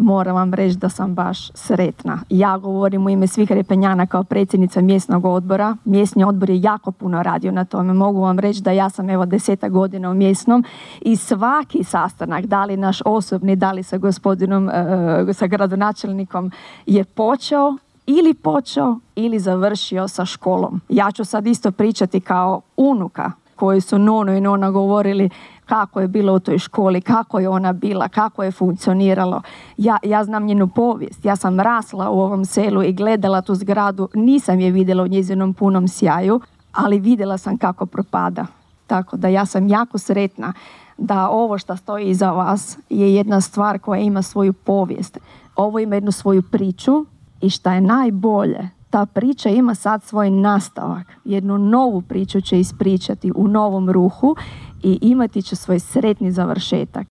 moram vam reći da sam baš sretna. Ja govorim u ime svih Repenjana kao predsjednica mjesnog odbora. Mjesni odbor je jako puno radio na tome. Mogu vam reći da ja sam 10 godina u mjesnom i svaki sastanak, da li naš osobni, da li sa gospodinom, sa gradonačelnikom, je počeo ili završio sa školom. Ja ću sad isto pričati kao unuka koji su Nono i Nona govorili kako je bilo u toj školi, kako je ona bila, kako je funkcioniralo. Ja znam njenu povijest. Ja sam rasla u ovom selu i gledala tu zgradu. Nisam je vidjela u njezinom punom sjaju, ali vidjela sam kako propada. Tako da ja sam jako sretna da ovo što stoji iza vas je jedna stvar koja ima svoju povijest. Ovo ima jednu svoju priču i šta je najbolje, ta priča ima sad svoj nastavak. Jednu novu priču će ispričati u novom ruhu i imati će svoj sretni završetak.